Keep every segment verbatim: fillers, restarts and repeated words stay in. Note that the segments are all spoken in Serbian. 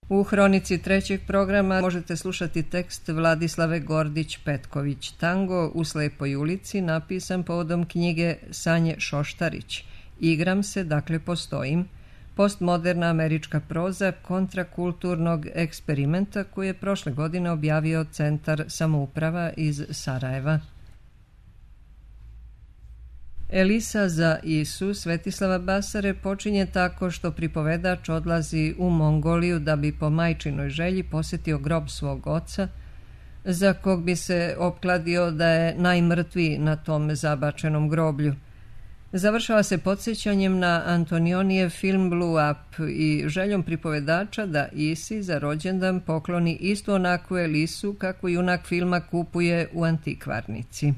U hronici trećeg programa možete slušati tekst Vladislave Gordić-Petković, Tango u slepoj ulici, napisan povodom knjige Sanje Šoštarić. Igram se, dakle postojim, postmoderna američka proza kontrakulturnog eksperimenta koji je prošle godine objavio Centar samouprava iz Sarajeva. Elisa za Isu Svetislava Basare počinje tako što pripovedač odlazi u Mongoliju da bi po majčinoj želji posjetio grob svog oca, za kog bi se opkladio da je najmrtviji na tom zabačenom groblju. Završava se podsjećanjem na Antonionijev film Blue Up i željom pripovedača da Isi za rođendan pokloni istu onakvu Elisu kako junak filma kupuje u antikvarnici.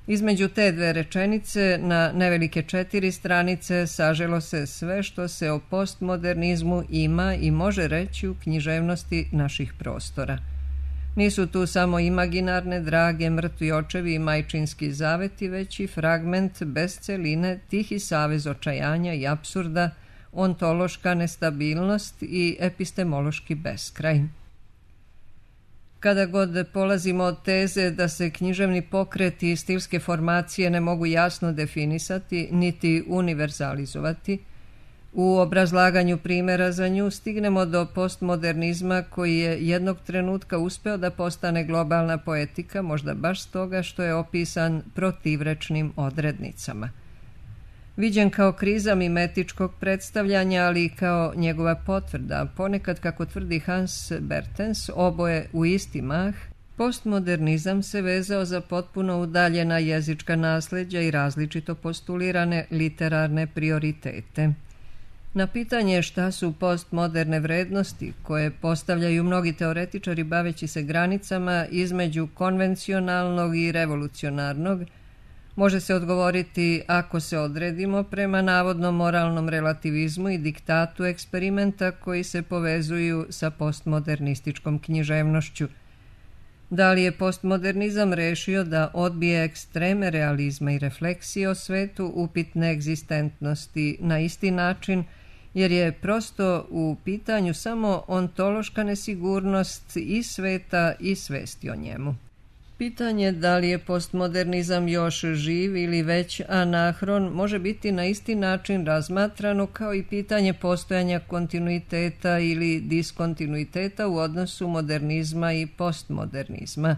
Između te dve rečenice na nevelike četiri stranice saželo se sve što se o postmodernizmu ima i može reći u književnosti naših prostora. Nisu tu samo imaginarne, drage, mrtvi očevi i majčinski zaveti, već i fragment bez celine, tihi savez očajanja i apsurda, ontološka nestabilnost i epistemološki beskraj. Kada god polazimo od teze da se književni pokreti i stilske formacije ne mogu jasno definisati niti univerzalizovati, u obrazlaganju primjera za nju stignemo do postmodernizma koji je jednog trenutka uspeo da postane globalna poetika, možda baš stoga što je opisan protivrečnim odrednicama. Viđen kao kriza mimetičkog predstavljanja, ali i kao njegova potvrda, ponekad, kako tvrdi Hans Bertens, oboje u isti mah, postmodernizam se vezao za potpuno udaljena jezička nasljeđa i različito postulirane literarne prioritete. Na pitanje šta su postmoderne vrednosti, koje postavljaju mnogi teoretičari baveći se granicama između konvencionalnog i revolucionarnog, može se odgovoriti ako se odredimo prema navodnom moralnom relativizmu i diktatu eksperimenta koji se povezuju sa postmodernističkom književnošću. Da li je postmodernizam rešio da odbije ekstreme realizma i refleksije o svetu upitne egzistentnosti na isti način, jer je prosto u pitanju samo ontološka nesigurnost i sveta i svesti o njemu. Pitanje da li je postmodernizam još živ ili već anahron može biti na isti način razmatrano kao i pitanje postojanja kontinuiteta ili diskontinuiteta u odnosu modernizma i postmodernizma.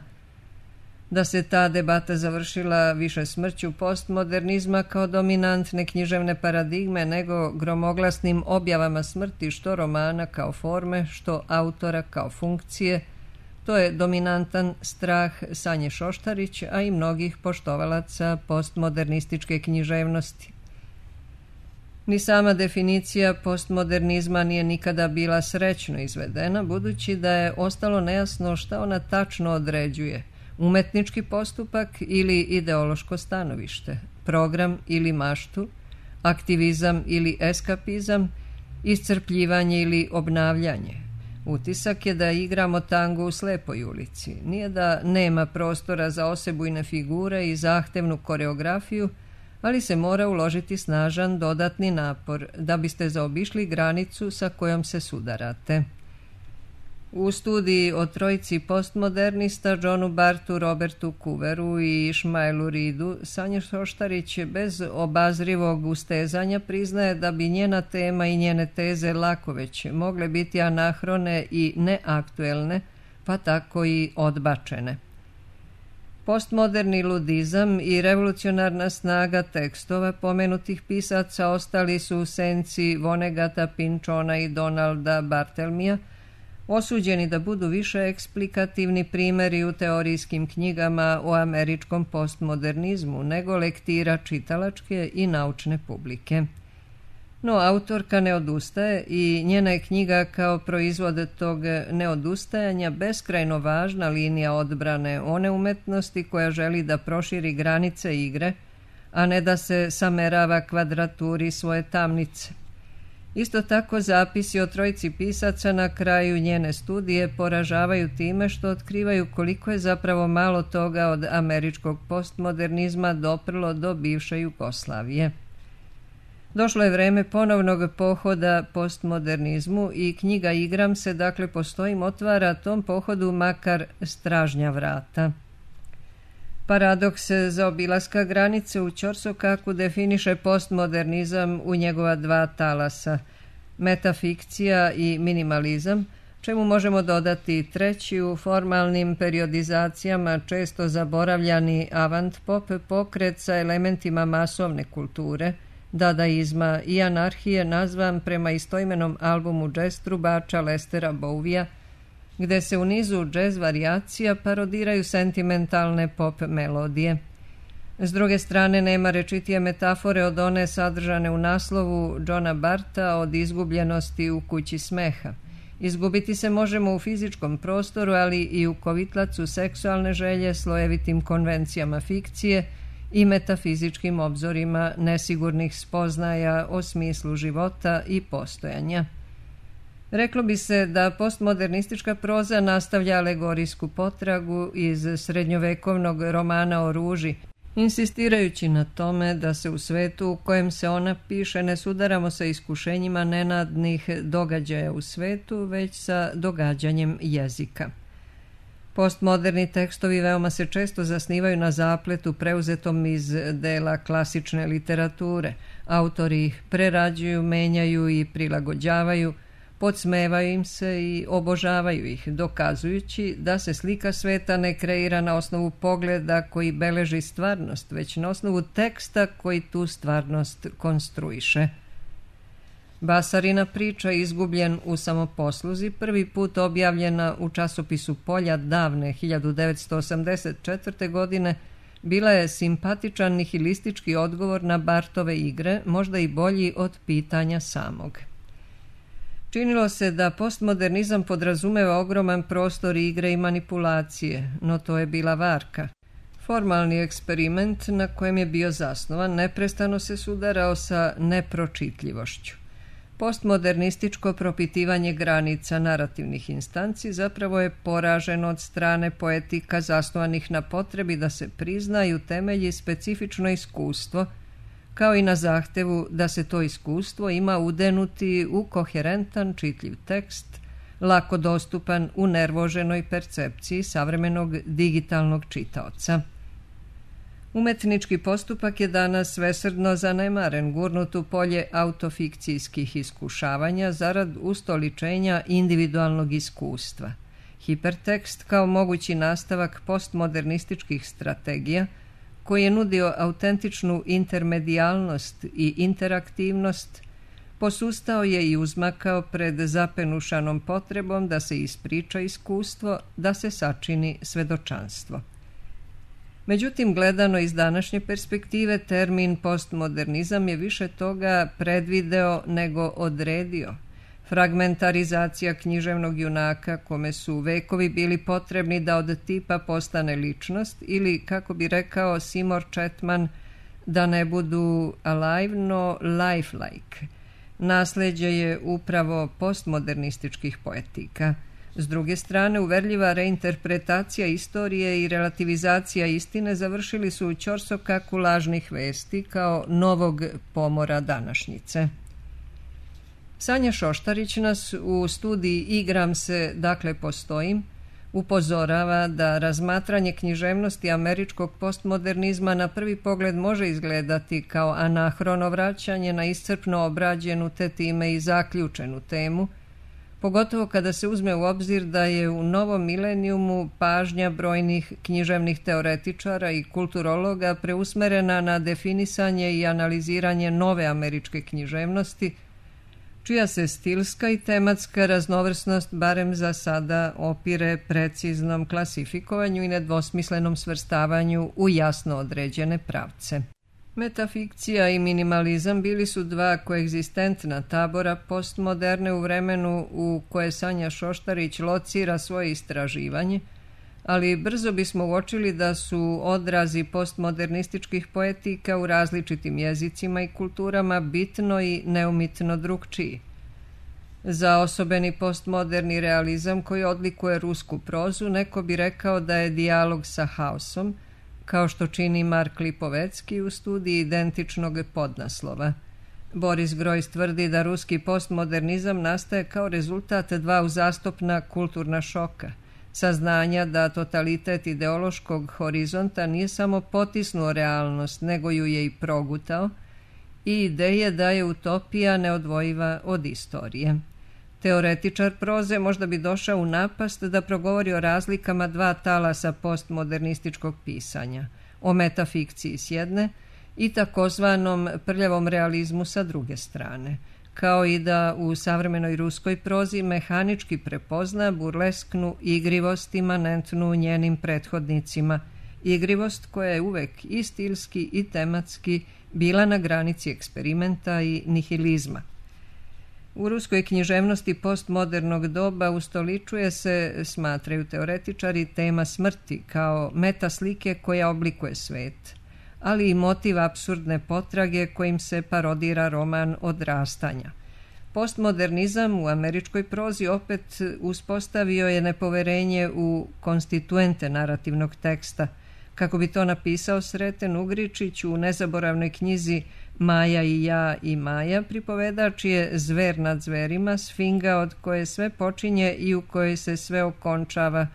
Da se ta debata završila više smrću postmodernizma kao dominantne književne paradigme nego gromoglasnim objavama smrti što romana kao forme, što autora kao funkcije, to je dominantan strah Sanje Šoštarić, a i mnogih poštovalaca postmodernističke književnosti. Ni sama definicija postmodernizma nije nikada bila srećno izvedena, budući da je ostalo nejasno šta ona tačno određuje, umetnički postupak ili ideološko stanovište, program ili maštu, aktivizam ili eskapizam, iscrpljivanje ili obnavljanje. Utisak je da igramo tango u slepoj ulici. Nije da nema prostora za osebujne figure i zahtevnu koreografiju, ali se mora uložiti snažan dodatni napor da biste zaobišli granicu sa kojom se sudarate. U studiji o trojici postmodernista Johnu Bartu, Robertu Cooveru i Ishmaelu Reedu, Sanja Šoštarić bez obazrivog ustezanja priznaje da bi njena tema i njene teze lako već mogle biti anahrone i neaktuelne, pa tako i odbačene. Postmoderni ludizam i revolucionarna snaga tekstova pomenutih pisaca ostali su u senci Vonnegata, Pynchona i Donalda Barthelmea, osuđeni da budu više eksplikativni primjeri u teorijskim knjigama o američkom postmodernizmu nego lektira čitalačke i naučne publike. No, autorka ne odustaje i njena je knjiga kao proizvod tog neodustajanja beskrajno važna linija odbrane one umetnosti koja želi da proširi granice igre, a ne da se samerava kvadraturi svoje tamnice. Isto tako zapisi o trojici pisaca na kraju njene studije poražavaju time što otkrivaju koliko je zapravo malo toga od američkog postmodernizma doprlo do bivše Jugoslavije. Došlo je vreme ponovnog pohoda postmodernizmu i knjiga Igram se, dakle postojim, otvara tom pohodu makar stražnja vrata. Paradoks zaobilaska granice u ćorsokaku definiše postmodernizam u njegova dva talasa, metafikcija i minimalizam, čemu možemo dodati treći u formalnim periodizacijama često zaboravljani avant-pop pokret sa elementima masovne kulture, dadaizma i anarhije, nazvan prema istoimenom albumu džez trubača Lestera Bowija, gde se u nizu džez varijacija parodiraju sentimentalne pop melodije. S druge strane, nema rečitije metafore od one sadržane u naslovu Johna Barta od izgubljenosti u kući smeha. Izgubiti se možemo u fizičkom prostoru, ali i u kovitlacu seksualne želje, slojevitim konvencijama fikcije i metafizičkim obzorima nesigurnih spoznaja o smislu života i postojanja. Reklo bi se da postmodernistička proza nastavlja alegorijsku potragu iz srednjovekovnog romana o ruži, insistirajući na tome da se u svetu u kojem se ona piše ne sudaramo sa iskušenjima nenadnih događaja u svetu, već sa događanjem jezika. Postmoderni tekstovi veoma se često zasnivaju na zapletu preuzetom iz dela klasične literature. Autori ih prerađuju, menjaju i prilagođavaju, podsmevaju im se i obožavaju ih, dokazujući da se slika sveta ne kreira na osnovu pogleda koji beleži stvarnost, već na osnovu teksta koji tu stvarnost konstruiše. Basarina priča, izgubljen u samoposluzi, prvi put objavljena u časopisu Polja davne hiljadu devetsto osamdeset četvrte. godine, bila je simpatičan nihilistički odgovor na Bartove igre, možda i bolji od pitanja samog. Činilo se da postmodernizam podrazumeva ogroman prostor igre i manipulacije, no to je bila varka. Formalni eksperiment na kojem je bio zasnovan neprestano se sudarao sa nepročitljivošću. Postmodernističko propitivanje granica narativnih instanci zapravo je poraženo od strane poetika zasnovanih na potrebi da se priznaju temelji specifično iskustvo, kao i na zahtevu da se to iskustvo ima udenuti u koherentan, čitljiv tekst, lako dostupan u nervoženoj percepciji savremenog digitalnog čitaoca. Umetnički postupak je danas svesrdno zanemaren, gurnut u polje autofikcijskih iskušavanja zarad ustoličenja individualnog iskustva. Hipertekst kao mogući nastavak postmodernističkih strategija, koji je nudio autentičnu intermedijalnost i interaktivnost, posustao je i uzmakao pred zapenušanom potrebom da se ispriča iskustvo, da se sačini svedočanstvo. Međutim, gledano iz današnje perspektive, termin postmodernizam je više toga predvideo nego odredio. Fragmentarizacija književnog junaka, kome su vekovi bili potrebni da od tipa postane ličnost, ili, kako bi rekao Seymour Chatman, da ne budu alive no lifelike. Nasleđe je upravo postmodernističkih poetika. S druge strane, uverljiva reinterpretacija istorije i relativizacija istine završili su u ćorsokaku lažnih vesti kao novog pomora današnjice. Sanja Šoštarić nas u studiji Igram se, dakle postojim, upozorava da razmatranje književnosti američkog postmodernizma na prvi pogled može izgledati kao anahrono vraćanje na iscrpno obrađenu te time i zaključenu temu, pogotovo kada se uzme u obzir da je u novom milenijumu pažnja brojnih književnih teoretičara i kulturologa preusmerena na definisanje i analiziranje nove američke književnosti, čija se stilska i tematska raznovrsnost barem za sada opire preciznom klasifikovanju i nedvosmislenom svrstavanju u jasno određene pravce. Metafikcija i minimalizam bili su dva koegzistentna tabora postmoderne u vremenu u koje Sanja Šoštarić locira svoje istraživanje, ali brzo bismo uočili da su odrazi postmodernističkih poetika u različitim jezicima i kulturama bitno i neumitno drukčiji. Za osobeni postmoderni realizam koji odlikuje rusku prozu, neko bi rekao da je dijalog sa haosom, kao što čini Mark Lipovecki u studiji identičnog podnaslova. Boris Grojs tvrdi da ruski postmodernizam nastaje kao rezultat dva uzastopna kulturna šoka. Saznanja da totalitet ideološkog horizonta nije samo potisnuo realnost, nego ju je i progutao, i ideje da je utopija neodvojiva od istorije. Teoretičar proze možda bi došao u napast da progovori o razlikama dva talasa postmodernističkog pisanja, o metafikciji s jedne i takozvanom prljavom realizmu sa druge strane, kao i da u savremenoj ruskoj prozi mehanički prepozna burlesknu igrivost imanentnu njenim prethodnicima, igrivost koja je uvek i stilski i tematski bila na granici eksperimenta i nihilizma. U ruskoj književnosti postmodernog doba ustoličuje se, smatraju teoretičari, tema smrti kao metaslike koja oblikuje svet, ali i motiv apsurdne potrage kojim se parodira roman Odrastanja. Postmodernizam u američkoj prozi opet uspostavio je nepoverenje u konstituente narativnog teksta, kako bi to napisao Sreten Ugričić u nezaboravnoj knjizi Maja i ja i Maja, pripovedač je zver nad zverima, sfinga od koje sve počinje i u kojoj se sve okončava,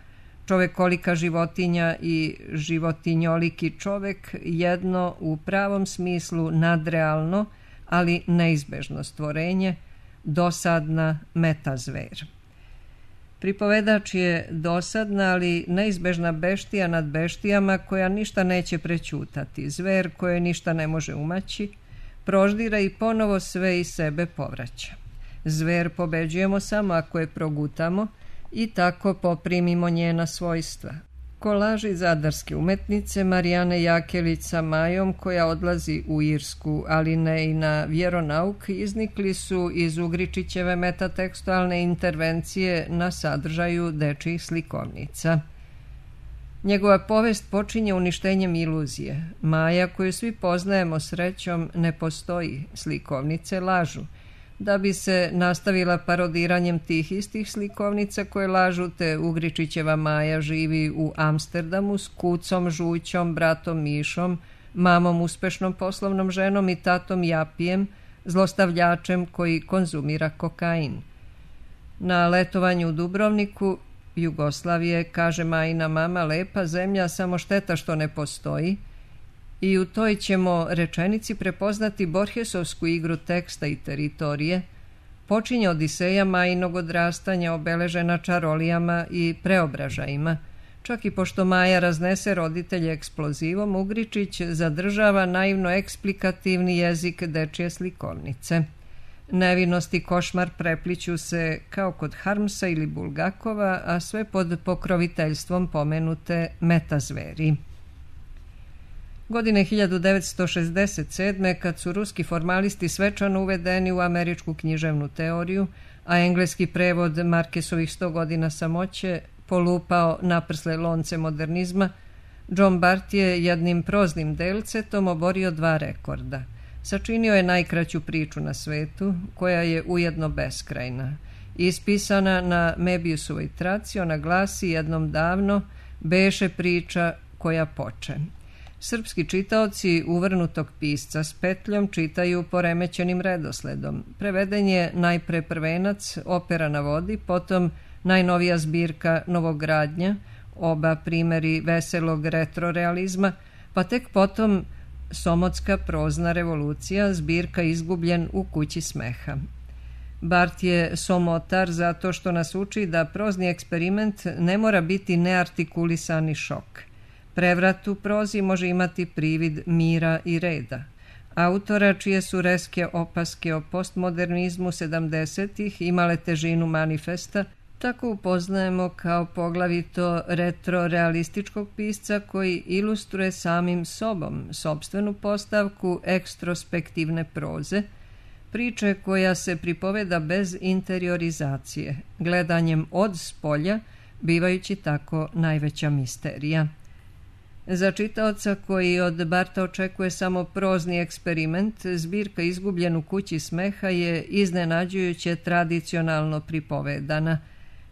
čovekolika životinja i životinjoliki čovek, jedno u pravom smislu nadrealno, ali neizbežno stvorenje, dosadna metazver. Pripovedač je dosadna, ali neizbežna beštija nad beštijama koja ništa neće prećutati, zver koje ništa ne može umaći, proždira i ponovo sve iz sebe povraća. Zver pobeđujemo samo ako je progutamo i tako poprimimo njena svojstva. Kolaži zadarske umetnice Marijane Jakelić sa Majom, koja odlazi u Irsku, ali ne i na vjeronauk, iznikli su iz Ugričićeve metatekstualne intervencije na sadržaju dečjih slikovnica. Njegova povest počinje uništenjem iluzije. Maja, koju svi poznajemo srećom, ne postoji, slikovnice lažu. Da bi se nastavila parodiranjem tih istih slikovnica koje lažu, te Ugričićeva Maja živi u Amsterdamu s kucom, žućom, bratom Mišom, mamom uspešnom poslovnom ženom i tatom Japijem, zlostavljačem koji konzumira kokain. Na letovanju u Dubrovniku, Jugoslavije, kaže Majina mama, lepa zemlja, samo šteta što ne postoji, i u toj ćemo rečenici prepoznati Borgesovsku igru teksta i teritorije, počinje Odiseja Majinog odrastanja obeležena čarolijama i preobražajima. Čak i pošto Maja raznese roditelje eksplozivom, Ugričić zadržava naivno eksplikativni jezik dečje slikovnice. Nevinost i košmar prepliću se kao kod Harmsa ili Bulgakova, a sve pod pokroviteljstvom pomenute metazveri. Godine hiljadu devetsto šezdeset sedme, kad su ruski formalisti svečano uvedeni u američku književnu teoriju, a engleski prevod Markesovih sto godina samoće polupao naprsle lonce modernizma, John Bart je jednim proznim delcetom oborio dva rekorda. Sačinio je najkraću priču na svetu, koja je ujedno beskrajna. Ispisana na Mebiusovoj traci, ona glasi jednom davno: beše priča koja poče. Srpski čitaoci uvrnutog pisca s petljom čitaju poremećenim redosledom. Preveden je najpre Prvenac, Opera na vodi, potom najnovija zbirka Novogradnja, oba primeri veselog retrorealizma, pa tek potom Somotska prozna revolucija, zbirka Izgubljen u kući smeha. Bart je somotar zato što nas uči da prozni eksperiment ne mora biti neartikulisani šok. Prevrat u prozi može imati privid mira i reda. Autora čije su reske opaske o postmodernizmu sedamdesetih imale težinu manifesta, tako upoznajemo kao poglavito retrorealističkog pisca koji ilustruje samim sobom sopstvenu postavku ekstrospektivne proze, priče koja se pripoveda bez interiorizacije, gledanjem od spolja, bivajući tako najveća misterija. Za čitaoca koji od Barta očekuje samo prozni eksperiment, zbirka Izgubljen u kući smeha je iznenađujuće tradicionalno pripovedana.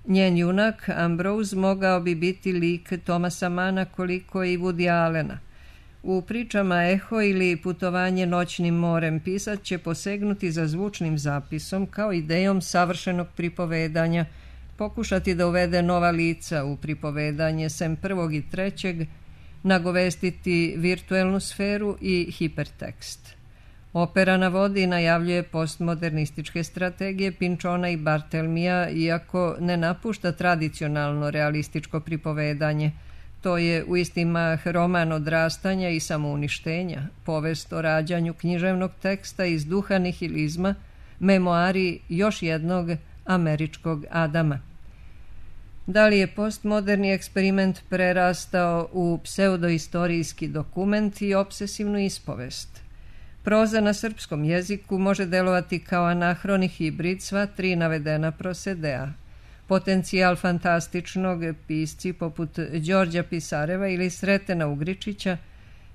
Njen junak, Ambrose, mogao bi biti lik Thomasa Mana koliko i Woody Allena. U pričama Eho ili Putovanje noćnim morem pisac će posegnuti za zvučnim zapisom kao idejom savršenog pripovedanja, pokušati da uvede nova lica u pripovedanje sem prvog i trećeg, nagovestiti virtuelnu sferu i hipertekst. Opera navodi i najavljuje postmodernističke strategije Pinčona i Bartelmija, iako ne napušta tradicionalno realističko pripovedanje. To je u isti mah roman odrastanja i samouništenja, povest o rađanju književnog teksta iz duha nihilizma, memoari još jednog američkog Adama. Da li je postmoderni eksperiment prerastao u pseudoistorijski dokument i obsesivnu ispovest? Proza na srpskom jeziku može delovati kao anahroni hibrid sva tri navedena prosedea. Potencijal fantastičnog pisci poput Đorđa Pisareva ili Sretena Ugričića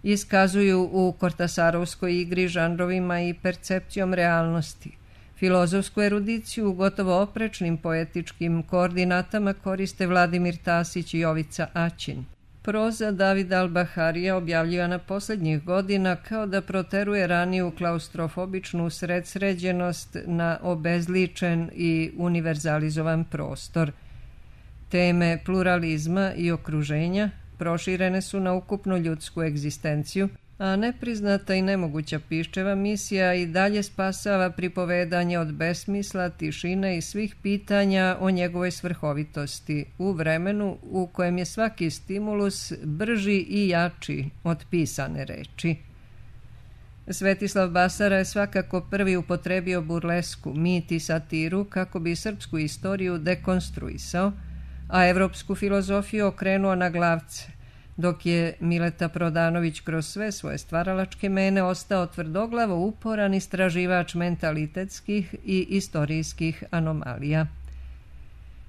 iskazuju u Kortasarovskoj igri žanrovima i percepcijom realnosti. Filozofsku erudiciju u gotovo oprečnim poetičkim koordinatama koriste Vladimir Tasić i Jovica Aćin. Proza Davida Al-Baharija objavljivana posljednjih godina kao da proteruje raniju klaustrofobičnu sredsređenost na obezličen i univerzalizovan prostor. Teme pluralizma i okruženja proširene su na ukupnu ljudsku egzistenciju, a nepriznata i nemoguća Piščeva misija i dalje spasava pripovedanje od besmisla, tišine i svih pitanja o njegovoj svrhovitosti u vremenu u kojem je svaki stimulus brži i jači od pisane reči. Svetislav Basara je svakako prvi upotrebio burlesku, mit i satiru kako bi srpsku istoriju dekonstruisao, a evropsku filozofiju okrenuo na glavce, dok je Mileta Prodanović kroz sve svoje stvaralačke mene ostao tvrdoglavo uporan istraživač mentalitetskih i istorijskih anomalija.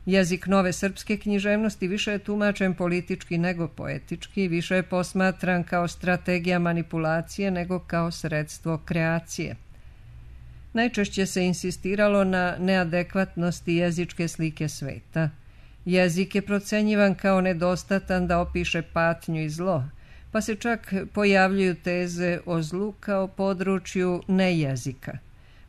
Jezik nove srpske književnosti više je tumačen politički nego poetički, više je posmatran kao strategija manipulacije nego kao sredstvo kreacije. Najčešće se insistiralo na neadekvatnosti jezičke slike sveta. Jezik je procenjivan kao nedostatan da opiše patnju i zlo, pa se čak pojavljuju teze o zlu kao području nejezika.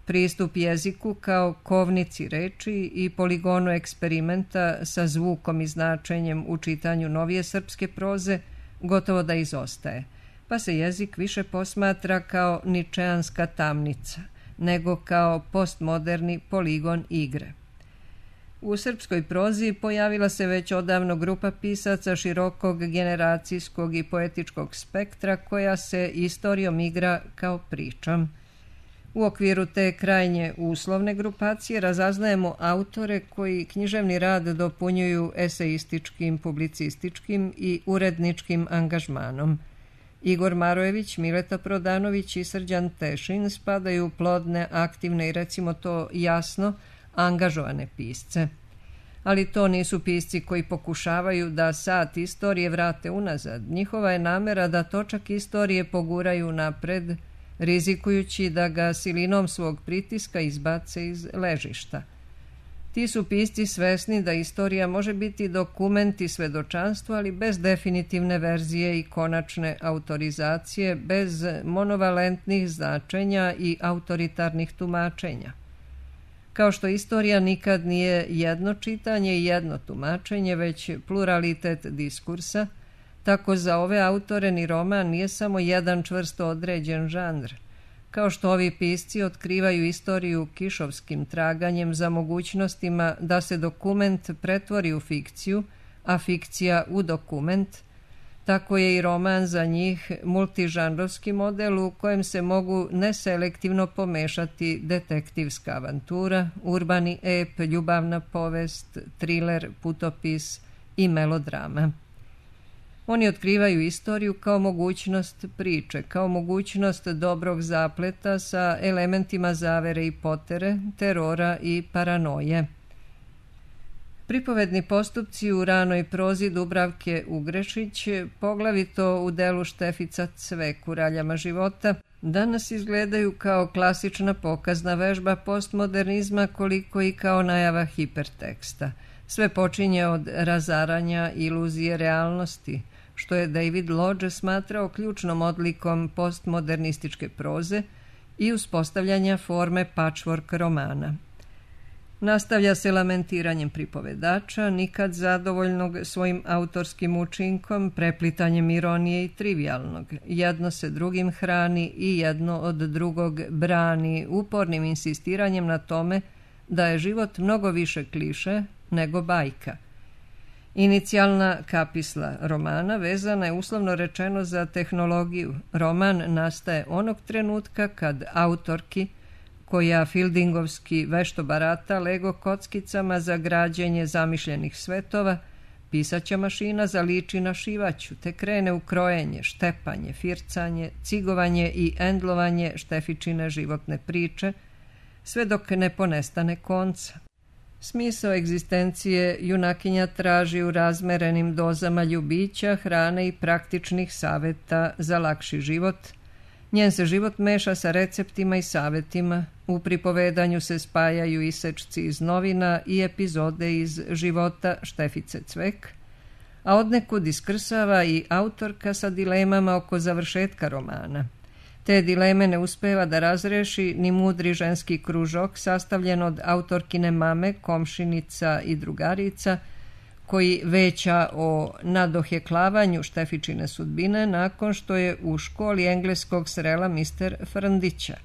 Pristup jeziku kao kovnici reči i poligonu eksperimenta sa zvukom i značenjem u čitanju novije srpske proze gotovo da izostaje, pa se jezik više posmatra kao ničeanska tamnica, nego kao postmoderni poligon igre. U srpskoj prozi pojavila se već odavno grupa pisaca širokog generacijskog i poetičkog spektra koja se istorijom igra kao pričom. U okviru te krajnje uslovne grupacije razaznajemo autore koji književni rad dopunjuju eseističkim, publicističkim i uredničkim angažmanom. Igor Marojević, Mileta Prodanović i Srđan Tešin spadaju u plodne, aktivne i recimo to jasno angažovane pisce. Ali to nisu pisci koji pokušavaju da sat istorije vrate unazad. Njihova je namera da točak istorije poguraju napred, rizikujući da ga silinom svog pritiska izbace iz ležišta. Ti su pisci svesni da istorija može biti dokument i svedočanstvo, ali bez definitivne verzije i konačne autorizacije, bez monovalentnih značenja i autoritarnih tumačenja. Kao što istorija nikad nije jedno čitanje i jedno tumačenje, već pluralitet diskursa, tako za ove autore ni roman nije samo jedan čvrsto određen žanr. Kao što ovi pisci otkrivaju istoriju kišovskim traganjem za mogućnostima da se dokument pretvori u fikciju, a fikcija u dokument, tako je i roman za njih multižanrovski model u kojem se mogu neselektivno pomešati detektivska avantura, urbani ep, ljubavna povest, triler, putopis i melodrama. Oni otkrivaju istoriju kao mogućnost priče, kao mogućnost dobrog zapleta sa elementima zavere i potere, terora i paranoje. Pripovedni postupci u ranoj prozi Dubravke Ugrešić, poglavito u delu Štefica Cvek u Raljama života, danas izgledaju kao klasična pokazna vežba postmodernizma koliko i kao najava hiperteksta. Sve počinje od razaranja iluzije realnosti, što je David Lodge smatrao ključnom odlikom postmodernističke proze i uspostavljanja forme patchwork romana. Nastavlja se lamentiranjem pripovedača, nikad zadovoljnog svojim autorskim učinkom, preplitanjem ironije i trivialnog. Jedno se drugim hrani i jedno od drugog brani, upornim insistiranjem na tome da je život mnogo više kliše nego bajka. Inicijalna kapisla romana vezana je uslovno rečeno za tehnologiju. Roman nastaje onog trenutka kad autorki, koja Fieldingovski vešto barata Lego kockicama za građenje zamišljenih svetova, pisaća mašina zaliči na šivaću, te krene u krojenje, štepanje, fircanje, cigovanje i endlovanje Štefičine životne priče, sve dok ne ponestane konca. Smisao egzistencije junakinja traži u razmerenim dozama ljubića, hrane i praktičnih saveta za lakši život. Njen se život meša sa receptima i savetima, u pripovedanju se spajaju isečci iz novina i epizode iz života Štefice Cvek, a odnekud iskrsava i autorka sa dilemama oko završetka romana. Te dileme ne uspeva da razreši ni mudri ženski kružok sastavljen od autorkine mame, komšinica i drugarica, koji veća o nadoheklavanju Štefičine sudbine nakon što je u školi engleskog srela mister Frndića.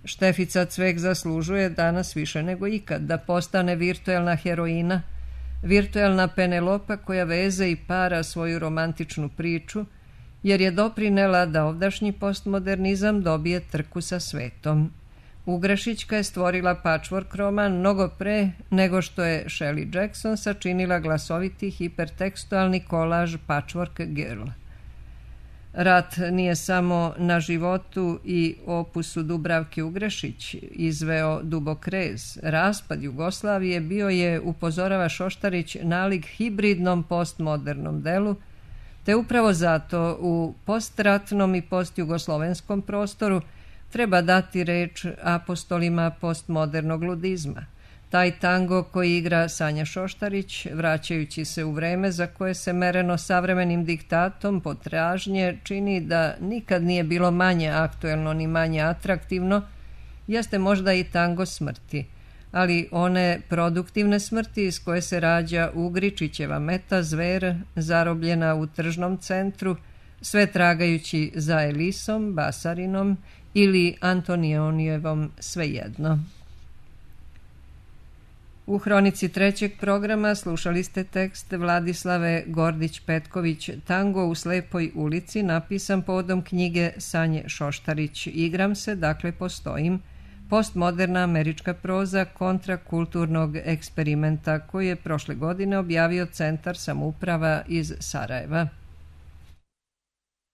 Štefica Cvek zaslužuje danas više nego ikad da postane virtuelna heroina, virtuelna Penelopa koja veze i para svoju romantičnu priču, jer je doprinela da ovdašnji postmodernizam dobije trku sa svetom. Ugrešićka je stvorila patchwork roman mnogo pre nego što je Shelley Jackson sačinila glasoviti hipertekstualni kolaž Patchwork Girl. Rat nije samo na životu i opusu Dubravke Ugrešić izveo dubok rez. Raspad Jugoslavije bio je, upozorava Šoštarić, nalik hibridnom postmodernom delu, te upravo zato u postratnom i postjugoslovenskom prostoru treba dati reč apostolima postmodernog ludizma. Taj tango koji igra Sanja Šoštarić, vraćajući se u vreme za koje se mereno savremenim diktatom potražnje čini da nikad nije bilo manje aktuelno ni manje atraktivno, jeste možda i tango smrti, ali one produktivne smrti iz koje se rađa Ugričićeva meta zver, zarobljena u tržnom centru, sve tragajući za Elisom, Basarinom ili Antonionijevom, svejedno. U hronici trećeg programa slušali ste tekst Vladislave Gordić-Petković Tango u slepoj ulici, napisan povodom knjige Sanje Šoštarić. Igram se, dakle postojim, postmoderna američka proza kontrakulturnog eksperimenta koji je prošle godine objavio Centar samouprava iz Sarajeva.